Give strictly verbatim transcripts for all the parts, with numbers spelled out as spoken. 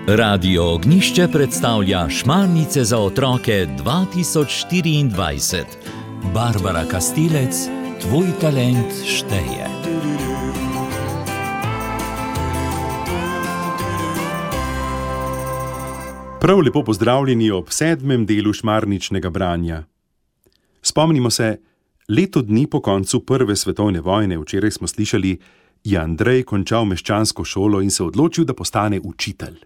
Radio Ognjišče predstavlja Šmarnice za otroke dva tisoč štiriindvajset. Barbara Kastilec, tvoj talent šteje. Prav lepo pozdravljeni ob sedmem delu šmarničnega branja. Spomnimo se, leto dni po koncu prve svetovne vojne, včeraj smo slišali, je Andrej končal meščansko šolo in se odločil, da postane učitelj.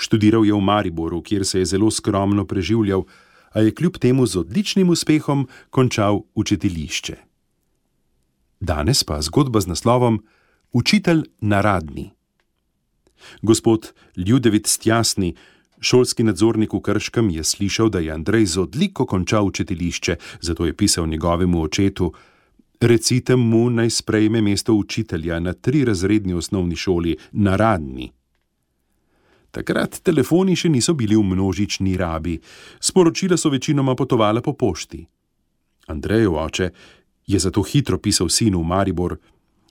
Študiral je v Mariboru, kjer se je zelo skromno preživljal, a je kljub temu z odličnim uspehom končal učiteljišče. Danes pa zgodba z naslovom Učitelj na Radni. Gospod Ljudevit Stjasni, šolski nadzornik v Krškem, je slišal, da je Andrej z odliko končal učiteljišče, zato je pisal njegovemu očetu: recite mu, naj sprejme mesto učitelja na trirazredni osnovni šoli na Radni. Takrat telefoni še niso bili v množični rabi, sporočila so večinoma potovala po pošti. Andrejev oče je zato hitro pisal sinu v Maribor: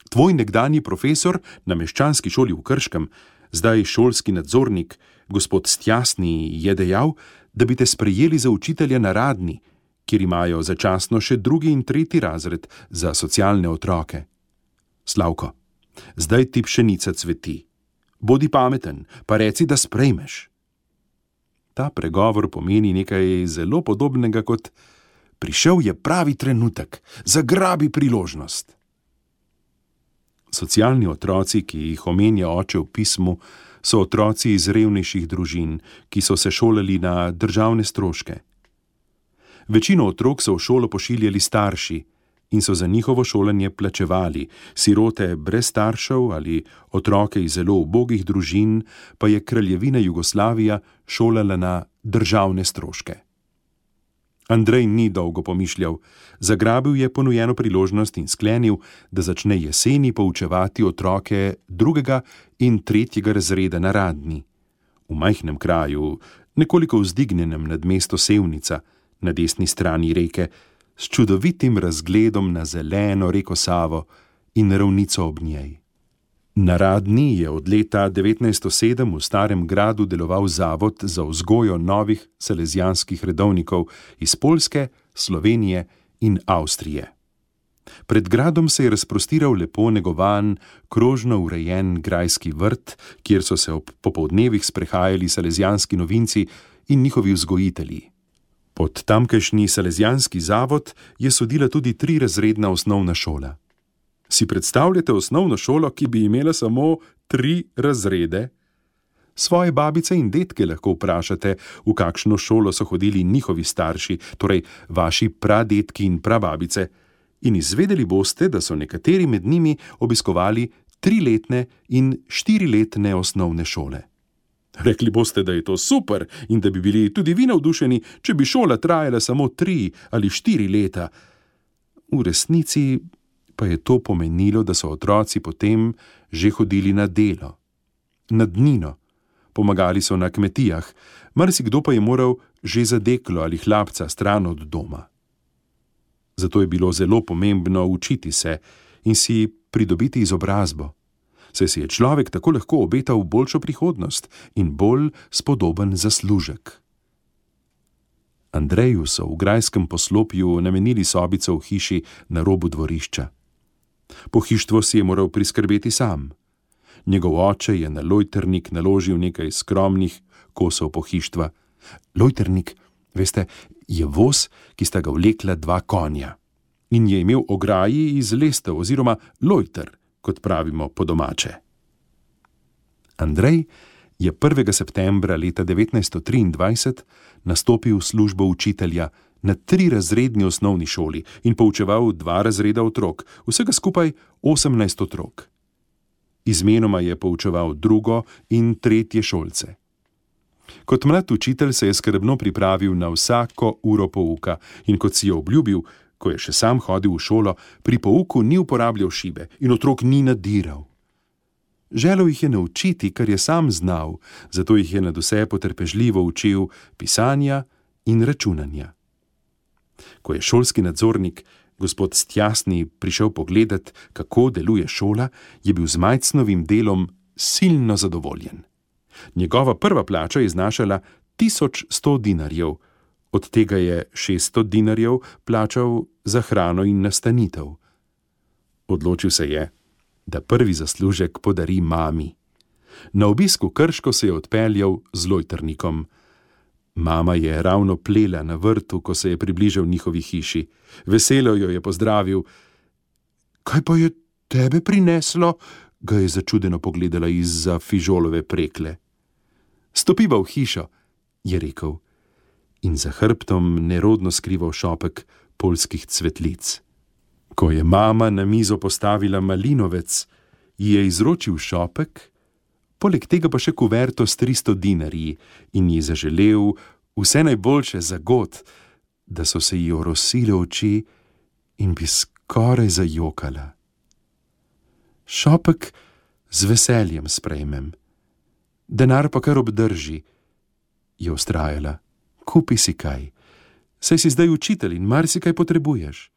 tvoj nekdanji profesor na meščanski šoli v Krškem, zdaj šolski nadzornik, gospod Stjasni, je dejal, da bi te sprejeli za učitelja na Radni, kjer imajo začasno še drugi in tretji razred za socialne otroke. Slavko, zdaj ti pšenica cveti. Bodi pameten, pa reci, da sprejmeš. Ta pregovor pomeni nekaj zelo podobnega kot: prišel je pravi trenutek, zagrabi priložnost. Socialni otroci, ki jih omenja oče v pismu, so otroci iz revnejših družin, ki so se šolali na državne stroške. Večino otrok so v šolo pošiljali starši in so za njihovo šolanje plačevali, sirote brez staršev ali otroke iz zelo ubogih družin pa je kraljevina Jugoslavija šolala na državne stroške. Andrej ni dolgo pomišljal, zagrabil je ponujeno priložnost in sklenil, da začne jeseni poučevati otroke drugega in tretjega razreda na Radni, v majhnem kraju, nekoliko vzdignjenem nad mesto Sevnica, na desni strani reke, s čudovitim razgledom na zeleno reko Savo in ravnico ob njej. Na Radni je od leta devetnajststo sedem v Starem gradu deloval zavod za vzgojo novih salezijanskih redovnikov iz Poljske, Slovenije in Avstrije. Pred gradom se je razprostiral lepo negovan, krožno urejen grajski vrt, kjer so se ob popoldnevih sprehajali salezijanski novinci in njihovi vzgojitelji. Pod tamkajšnji salezijanski zavod je sodila tudi trirazredna osnovna šola. Si predstavljate osnovno šolo, ki bi imela samo tri razrede? Svoje babice in dedke lahko vprašate, v kakšno šolo so hodili njihovi starši, torej vaši pradedki in prababice, in izvedeli boste, da so nekateri med njimi obiskovali triletne in štiriletne osnovne šole. Rekli boste, da je to super in da bi bili tudi vi navdušeni, če bi šola trajala samo tri ali štiri leta. V resnici pa je to pomenilo, da so otroci potem že hodili na delo, na dnino, pomagali so na kmetijah, marsikdo pa je moral že za deklo ali hlapca stran od doma. Zato je bilo zelo pomembno učiti se in si pridobiti izobrazbo, saj si je človek tako lahko obetal boljšo prihodnost in bolj spodoben zaslužek. Andreju so v grajskem poslopju namenili sobico v hiši na robu dvorišča. Pohištvo si je moral priskrbeti sam. Njegov oče je na lojtrnik naložil nekaj skromnih kosov pohištva. Lojtrnik, veste, je voz, ki sta ga vlekla dva konja in je imel ograji iz lestev oziroma lojter, kot pravimo po domače. Andrej je prvega septembra leta devetnajststo triindvajset nastopil v službo učitelja na trirazredni osnovni šoli in poučeval dva razreda otrok, vsega skupaj osemnajst otrok. Izmenoma je poučeval drugo in tretje šolce. Kot mlad učitelj se je skrbno pripravil na vsako uro pouka in kot si je obljubil, ko je še sam hodil v šolo, pri pouku ni uporabljal šibe in otrok ni nadiral. Želel jih je naučiti, kar je sam znal, zato jih je nadvse potrpežljivo učil pisanja in računanja. Ko je šolski nadzornik gospod Stjasni prišel pogledat, kako deluje šola, je bil z Majcnovim delom silno zadovoljen. Njegova prva plača je znašala tisoč sto dinarjev, od tega je šeststo dinarjev plačal za hrano in nastanitev. Odločil se je, da prvi zaslužek podari mami. Na obisk v Krško se je odpeljal z lojtrnikom. Mama je ravno plela na vrtu, ko se je približal njihovi hiši. Veselo jo je pozdravil. Kaj pa je tebe prineslo? Ga je začudeno pogledala izza fižolove prekle. Stopiva v hišo, je rekel, in za hrbtom nerodno skrival šopek poljskih cvetlic. Ko je mama na mizo postavila malinovec, ji je izročil šopek, poleg tega pa še kuverto s tristo dinarji in ji zaželel vse najboljše za god, da so se ji orosile oči in bi skoraj zajokala. Šopek z veseljem sprejmem, denar pa kar obdrži, je vztrajala. Kupi si kaj, saj si zdaj učitelj in marsikaj potrebuješ.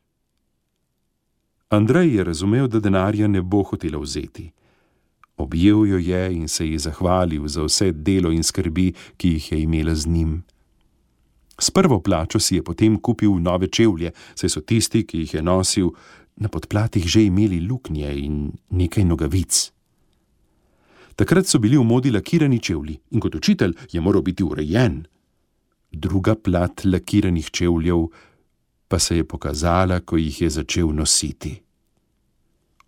Andrej je razumel, da denarja ne bo hotela vzeti. Objel jo je in se ji zahvalil za vse delo in skrbi, ki jih je imela z njim. S prvo plačo si je potem kupil nove čevlje, saj so tisti, ki jih je nosil, na podplatih že imeli luknje in nekaj nogavic. Takrat so bili v modi lakirani čevlji in kot učitelj je moral biti urejen. Druga plat lakiranih čevljev pa se je pokazala, ko jih je začel nositi.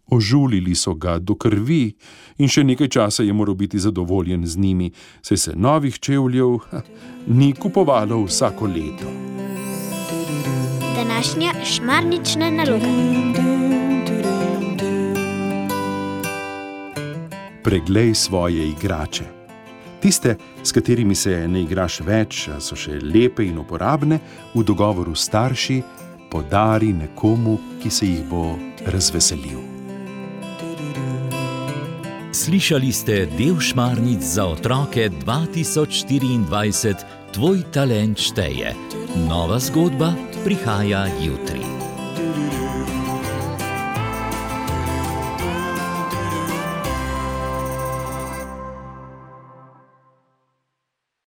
Ožulili so ga do krvi in še nekaj časa je moral biti zadovoljen z njimi, saj se novih čevljev ha, ni kupovalo vsako leto. Današnja šmarnična naloga. Preglej svoje igrače. Tiste, s katerimi se ne igraš več, a so še lepe in uporabne, v dogovoru s starši podari nekomu, ki se jih bo razveselil. Slišali ste del Šmarnic za otroke dva tisoč štiriindvajset, Tvoj talent šteje. Nova zgodba prihaja jutri.